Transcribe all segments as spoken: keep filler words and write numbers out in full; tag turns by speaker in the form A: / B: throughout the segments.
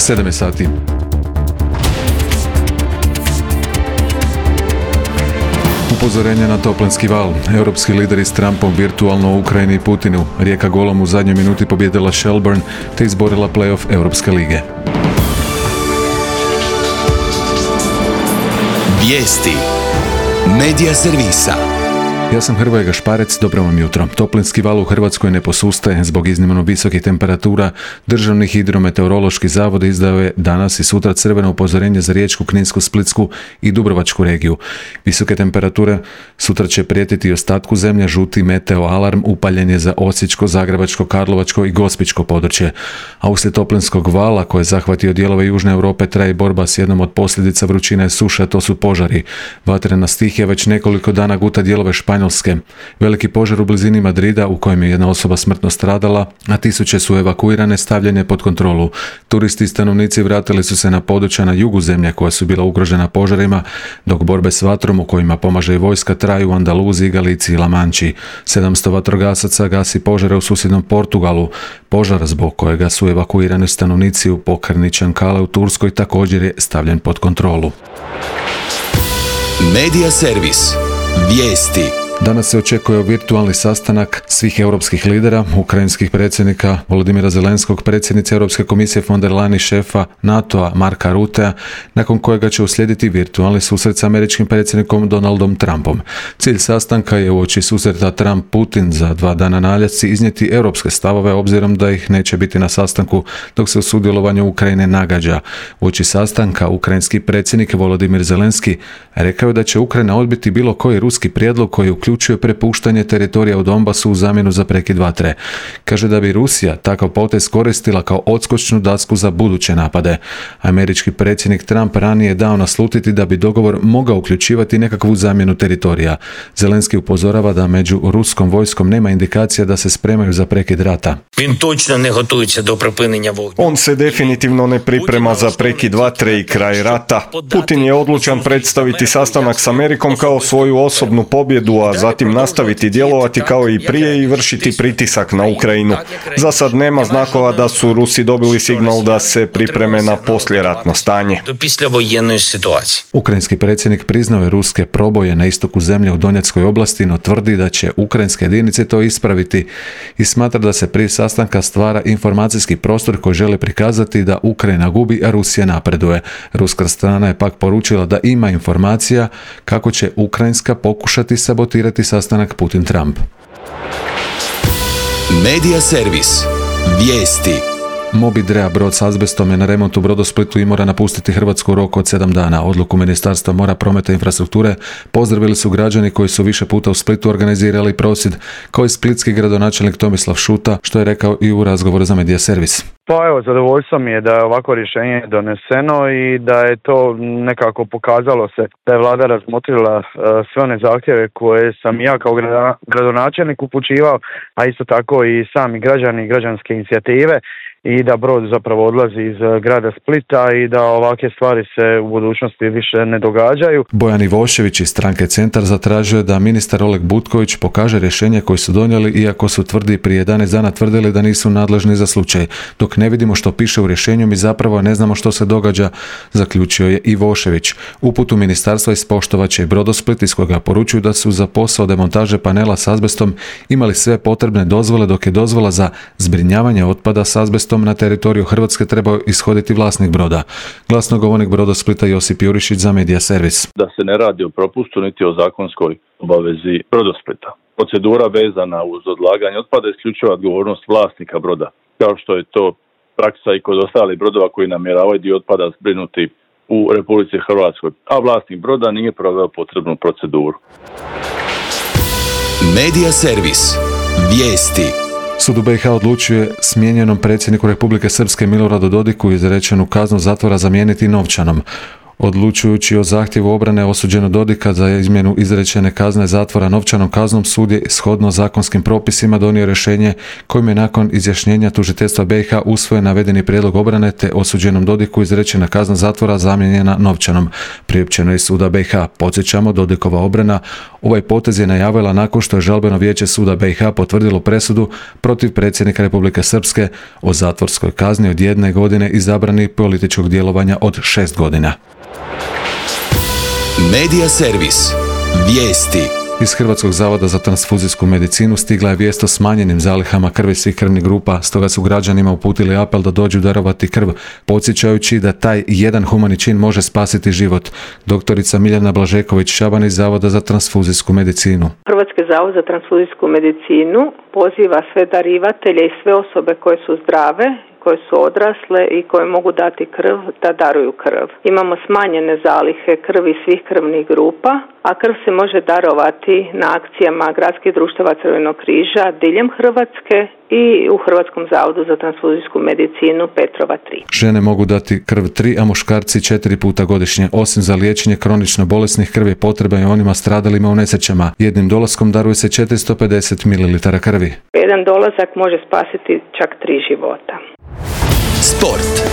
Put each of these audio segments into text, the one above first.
A: sedam je sati. Upozorenje na toplinski val. Europski lideri s Trumpom virtualno u Ukrajini i Putinu. Rijeka golom u zadnjoj minuti pobjedila Shelburne te izborila play-off Europske lige.
B: Vijesti Medija servisa.
A: Ja sam Hrvoje Gašparec, dobro vam jutro. Toplinski val u Hrvatskoj ne posustaje zbog iznimno visokih temperatura. Državni hidrometeorološki zavod izdao je danas i sutra crveno upozorenje za Riječku, Kninsku, Splitsku i Dubrovačku regiju. Visoke temperature sutra će prijetiti i ostatku zemlje, žuti meteo alarm upaljen je za Osječko, Zagrebačko, Karlovačko i Gospićko područje. A uslijed toplinskog vala koje je zahvatio dijelove Južne Europe traje borba s jednom od posljedica vrućine i suša, to su požari. Vatrena stihija već nekoliko dana guta dijelove Španjolske. Veliki požar u blizini Madrida u kojem je jedna osoba smrtno stradala, a tisuće su evakuirane, stavljene pod kontrolu. Turisti i stanovnici vratili su se na područja na jugu zemlje koja su bila ugrožena požarima, dok borbe s vatrom u kojima pomaže i vojska traju u Andaluziji, Galiciji i La Manči. sedamsto vatrogasaca gasi požare u susjednom Portugalu. Požar zbog kojega su evakuirani stanovnici u pokrajini Čankale u Turskoj također je stavljen pod kontrolu.
B: Medija servis. Vijesti.
A: Danas se očekuje virtualni sastanak svih europskih lidera, ukrajinskih predsjednika Volodymyra Zelenskog, predsjednice Europske komisije von der Leyen i šefa NATO-a Marka Ruttea, nakon kojega će uslijediti virtualni susret s američkim predsjednikom Donaldom Trumpom. Cilj sastanka je uoči susreta Trump-Putin za dva dana na Aljasci iznijeti europske stavove, obzirom da ih neće biti na sastanku dok se u sudjelovanju Ukrajine nagađa. Uoči sastanka ukrajinski predsjednik Volodymyr Zelenski rekao je da će Ukrajina odbiti bilo koji ruski prijedlog koji uključuje uključuje prepuštanje teritorija u Donbasu u zamjenu za prekid vatre. Kaže da bi Rusija takav potez koristila kao odskočnu dasku za buduće napade. Američki predsjednik Trump ranije je dao naslutiti da bi dogovor mogao uključivati nekakvu zamjenu teritorija. Zelenski upozorava da među ruskom vojskom nema indikacija da se spremaju za prekid rata.
C: On se definitivno ne priprema za prekid vatre i kraj rata. Putin je odlučan predstaviti sastanak s Amerikom kao svoju osobnu pobjedu, a zatim nastaviti djelovati kao i prije i vršiti pritisak na Ukrajinu. Za sad nema znakova da su Rusi dobili signal da se pripreme na poslijeratno stanje.
A: Ukrajinski predsjednik priznao je ruske proboje na istoku zemlje u Donjeckoj oblasti, no tvrdi da će ukrajinske jedinice to ispraviti i smatra da se prije sastanka stvara informacijski prostor koji žele prikazati da Ukrajina gubi, a Rusija napreduje. Ruska strana je pak poručila da ima informacija kako će ukrajinska pokušati sabotirati sastanak Putin-Trump.
B: Medija servis. Vijesti.
A: Moby Drea, brod s azbestom, je na remontu u Brodosplitu i mora napustiti Hrvatsku u roku od sedam dana. Odluku Ministarstva mora, prometa i infrastrukture pozdravili su građani koji su više puta u Splitu organizirali prosvjed, kao i splitski gradonačelnik Tomislav Šuta, što je rekao i u razgovoru za Medija servis.
D: Pa evo, zadovoljstvo mi je da je ovako rješenje doneseno i da je to nekako pokazalo se da je vlada razmotrila uh, sve one zahtjeve koje sam ja kao gradonačelnik upućivao, a isto tako i sami građani i građanske inicijative, i da brod zapravo odlazi iz grada Splita i da ovakve stvari se u budućnosti više ne događaju.
A: Bojan Ivošević iz stranke Centar zatražio je da ministar Oleg Butković pokaže rješenje koje su donijeli, iako su tvrdi prije jedanaest dana tvrdili da nisu nadležni za slučaj. Dok ne vidimo što piše u rješenju, mi zapravo ne znamo što se događa, zaključio je Ivošević. Uputu ministarstva ispoštovat će i Brodosplit, iz kojega poručuju da su za posao demontaže panela s azbestom imali sve potrebne dozvole, dok je dozvola za zbrinjavanje otpada s azbestom na teritoriju Hrvatske trebao ishoditi vlasnik broda. Glasnogovornik Brodosplita Josip Jurišić za Medija servis.
E: Da se ne radi o propustu niti o zakonskoj obavezi Brodosplita. Procedura vezana uz odlaganje otpada je isključiva odgovornost vlasnika broda, kao što je to praksa i kod ostalih brodova koji namjeravaju dio otpada zbrinuti u Republici Hrvatskoj, a vlasnik broda nije proveo potrebnu proceduru.
B: Medija servis. Vijesti.
A: Sud u B i H odlučuje smijenjenom predsjedniku Republike Srpske Miloradu Dodiku izrečenu kaznu zatvora zamijeniti novčanom. Odlučujući o zahtjevu obrane osuđeno Dodika za izmjenu izrečene kazne zatvora novčanom kaznom, sud je shodno zakonskim propisima donio rješenje kojim je nakon izjašnjenja tužiteljstva B i H usvojen navedeni prijedlog obrane te osuđenom Dodiku izrečena kazna zatvora zamijenjena novčanom. Priopćeno je suda B i H. Podsjećamo, Dodikova obrana ovaj potez je najavila nakon što je žalbeno vijeće suda B i H potvrdilo presudu protiv predsjednika Republike Srpske o zatvorskoj kazni od jedne godine i zabrani političkog djelovanja od šest godina.
B: Medija servis. Vijesti.
A: Iz Hrvatskog zavoda za transfuzijsku medicinu stigla je vijest o smanjenim zalihama krvi svih krvnih grupa, stoga su građanima uputili apel da dođu darovati krv, podsjećajući da taj jedan humani čin može spasiti život. Doktorica Miljana Blažeković-Šaban iz Zavoda za transfuzijsku medicinu.
F: Hrvatski zavod za transfuzijsku medicinu poziva sve darivatelje i sve osobe koje su zdrave, koje su odrasle i koje mogu dati krv, da daruju krv. Imamo smanjene zalihe krvi svih krvnih grupa, a krv se može darovati na akcijama gradskih društava Crvenog križa diljem Hrvatske i u Hrvatskom zavodu za transfuzijsku medicinu Petrova tri.
A: Žene mogu dati krv tri, a muškarci četiri puta godišnje. Osim za liječenje kronično bolesnih, krv je potreban i onima stradalima u nesrećama. Jednim dolaskom daruje se četiristo pedeset mililitara krvi.
F: Jedan dolazak može spasiti čak tri života.
B: Sport.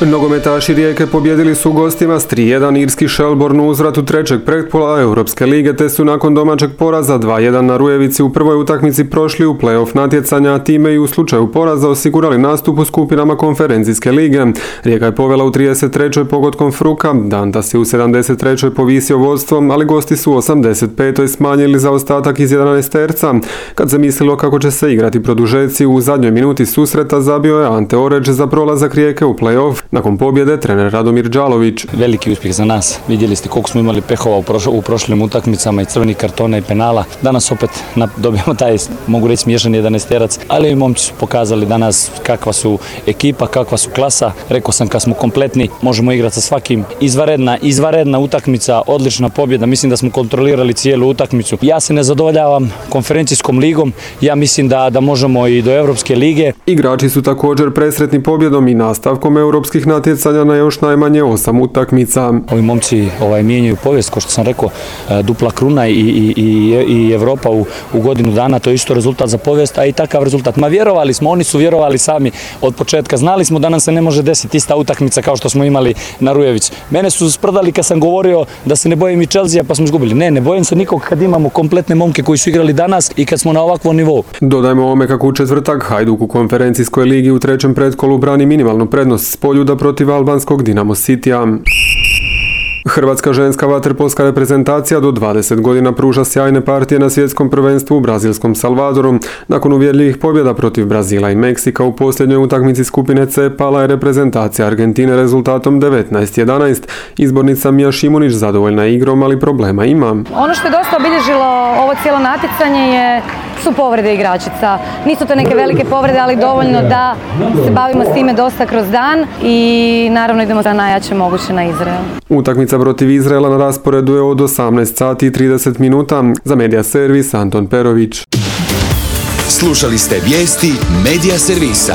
G: Nogometaši Rijeke pobjedili su gostima s tri jedan irski Shelbourne u uzvratu trećeg pretpola Europske lige, te su nakon domaćeg poraza dva jedan na Rujevici u prvoj utakmici prošli u play-off natjecanja, a time i u slučaju poraza osigurali nastup u skupinama konferencijske lige. Rijeka je povela u trideset trećoj pogodkom Fruka, Dantas je u sedamdeset trećoj povisio vodstvo, ali gosti su u osamdeset petoj smanjili zaostatak iz jedanaesterca. Kad se mislilo kako će se igrati produžeci, u zadnjoj minuti susreta zabio je Ante Oreć za prolazak Rijeke u play-off. Nakon pobjede trener Radomir Đalović.
H: Veliki uspjeh za nas. Vidjeli ste koliko smo imali pehova u, prošlo, u prošlim utakmicama i crvenih kartona i penala. Danas opet na, dobijemo taj, mogu reći, smiješan jedanaesterac, ali i momci su pokazali danas kakva su ekipa, kakva su klasa. Rekao sam, kad smo kompletni, možemo igrati sa svakim. Izvaredna, izvaredna utakmica, odlična pobjeda. Mislim da smo kontrolirali cijelu utakmicu. Ja se ne zadovoljavam konferencijskom ligom. Ja mislim da, da možemo i do Europske lige.
G: Igrači su također presretni pobjedom i nastavkom europskih natjecanja na još najmanje osam utakmica.
H: Ovi momci ovaj, mijenjaju povijest, kao što sam rekao, dupla kruna i, i, i, i Evropa u, u godinu dana, to je isto rezultat za povijest, a i takav rezultat. Ma vjerovali smo, oni su vjerovali sami od početka. Znali smo da nam se ne može desiti ista utakmica kao što smo imali na Rujevici. Mene su sprdali kad sam govorio da se ne bojim i Chelsea, pa smo izgubili. Ne, ne bojim se nikog kad imamo kompletne momke koji su igrali danas i kad smo na ovakvom nivou.
G: Dodajmo ovome kako u četvrtak Hajduk u konferencijskoj ligi u trećem pretkolu brani minimalnu prednost s Poljuda protiv albanskog Dinamo Citya. Hrvatska ženska vaterpolska reprezentacija do dvadeset godina pruža sjajne partije na svjetskom prvenstvu u brazilskom Salvadoru. Nakon uvjerljivih pobjeda protiv Brazila i Meksika u posljednjoj utakmici skupine C pala je reprezentacija Argentine rezultatom devetnaest jedanaest. Izbornica Mija Šimunić zadovoljna igrom, ali problema ima.
I: Ono što je dosta obilježilo ovo cijelo natjecanje je su povrede igračica. Nisu to neke velike povrede, ali dovoljno da se bavimo s time dosta kroz dan i naravno idemo za najjače moguće na Izrael.
G: Utakmica protiv Izraela na rasporedu je od osamnaest sati i trideset minuta. Za Medija servis Anton Perović.
B: Slušali ste vijesti Medija servisa.